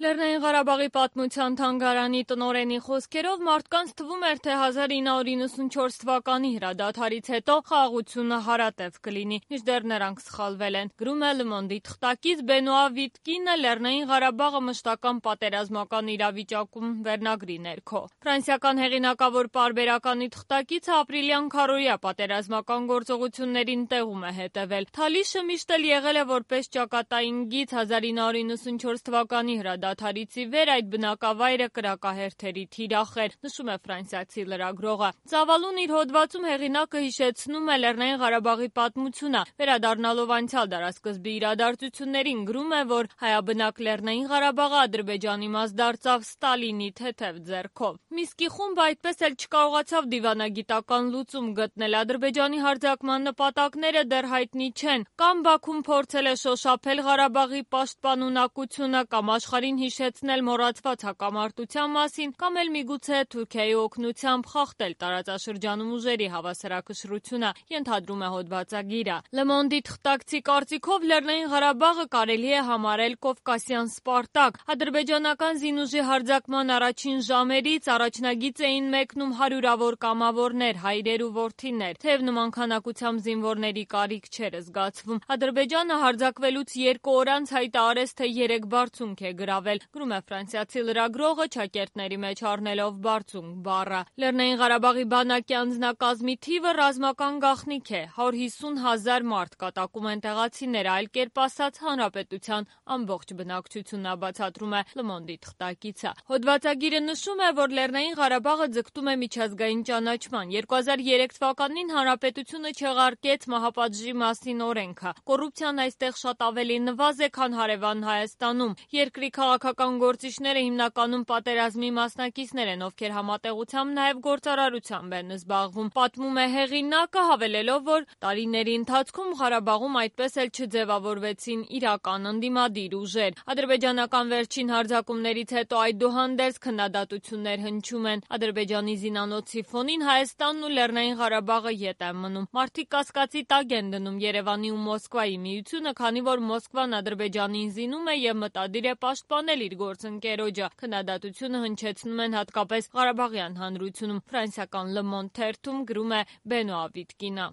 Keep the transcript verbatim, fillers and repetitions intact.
Լեռնային Ղարաբաղի պատմության թանգարանի տնօրենի խոսքերով մարդկանց թվում էր, թե հազար ինը հարյուր իննսունչորս թվականի հրադադարից հետո խաղաղությունը հարատև կլինի, մինչդեռ նրանք սխալվել են։ Գրում է Le Monde-ի թղթակից Բենուա Վիտկինը Լեռնային Ղարաբաղը մշտական պատերազմական իրավիճակում վերնագրի ներքո։ Ֆրանսիական հեղինակավոր պարբերականի թղթակիցը ապրիլյան քառօրյա պատերազմական գործողություններին տեղում է հետևել։ Թալիշը միշտ էլ եղել է որպես ճակատային գիծ հազար ինը հարյուր իննսունչորս թվականի հրադադարից ի վեր այդ բնակավայրը կրակահերթերի թիրախ էր, նշում է ֆրանսիացի լրագրողը։ Ծավալուն իր հոդվածում հեղինակը հիշեցնում է Լեռնային Ղարաբաղի պատմությունը, վերադառնալով անցյալ դարասկզբի իրադարձություններին, գրում է, որ հայաբնակ Լեռնային Ղարաբաղը Ադրբեջանի մաս դարձավ Ստալինի թեթև ձեռքով։ Միսկի խումբը այդպես էլ չկարողացավ դիվանագիտական լուծում գտնել, Ադրբեջանի հարձակման նպատակները դեռ հայտնի չեն, կամ Բաքուն փորձել է շոշափել Ղարաբաղի պաշտպանունակությունը, կամ աշխարհին հիշեցնել մոռացված հակամարտության մասին, կամ էլ միգուցե Թուրքիայի օգնությամբ խախտել տարածաշրջանում ուժերի հավասարակշռությունը, ենթադրում է հոդվածագիրը։ Le Monde-ի թղթակցի կարծիքով Լեռնային Ղարաբաղը կարելի է համարել կովկասյան Սպարտակ։ Ադրբեջանական զինուժի հարձակման առաջին ժամերից առաջնագիծ էին մեկնում հարյուրավոր կամավորներ, հայրեր ու որդիներ, թեև նման քանակությամբ զինվորների կարիք չէր զգացվում։ Ադրբեջանը հարձակվելուց երկու օր անց հայտարարեց, թե երեք բարձունք է գրավել, գրում է ֆրանսիացի լրագրողը չակերտների մեջ առնելով բարձունք բառը։ Լեռնային Ղարաբաղի բանակի անձնակազմի թիվը ռազմական գաղտնիք է, հարյուր հիսուն հազար մարդ կատակում են տեղացիները, այլ կերպ ասած հանրապետության ամբողջ բնակչությունն է, բացատրում է Le Monde-ի թղթակիցը։ Հոդվածագիրը նշում է, որ Լեռնային Ղարաբաղը ձգտում է միջազգային ճանաչման։ երկու հազար երեք թվականին հանրապետությունը չեղարկեց մահապատժի մասին օրենքը։ Կոռուպցիան այստեղ շատ ավելի նվազ է, քան հարևան Հայաստանում։ Երկրի քաղաքական գործիչները հիմնականում պատերազմի մասնակիցներ են, ովքեր համատեղությամբ նաև գործարարությամբ են զբաղվում, պատմում է հեղինակը, հավելելով, որ տարիների ընթացքում Ղարաբաղում այդպես էլ չձևավորվեցին իրական ընդդիմադիր ուժեր։ Ադրբեջանական վերջին հարձակումներից հետո այդուհանդերձ քննադատություններ հնչում են։ Ադրբեջանի զինանոցի ֆոնին Հայաստանն ու Լեռնային Ղարաբաղը ետ են մնում։ Մարդիկ կասկածի տակ են դնում Երևանի ու Մոսկվայի միությունը, քանի որ Մոսկվան Ադրբեջանին զինում է եւ մտադիր է պաշտպանել իր գործընկերոջը։ Քննադատությունը հնչեցնում են հատկապես Ղարաբաղյան հանրությունում։ Ֆրանսիական Le Monde թերթում գրում է Բենուա Վիտկինը։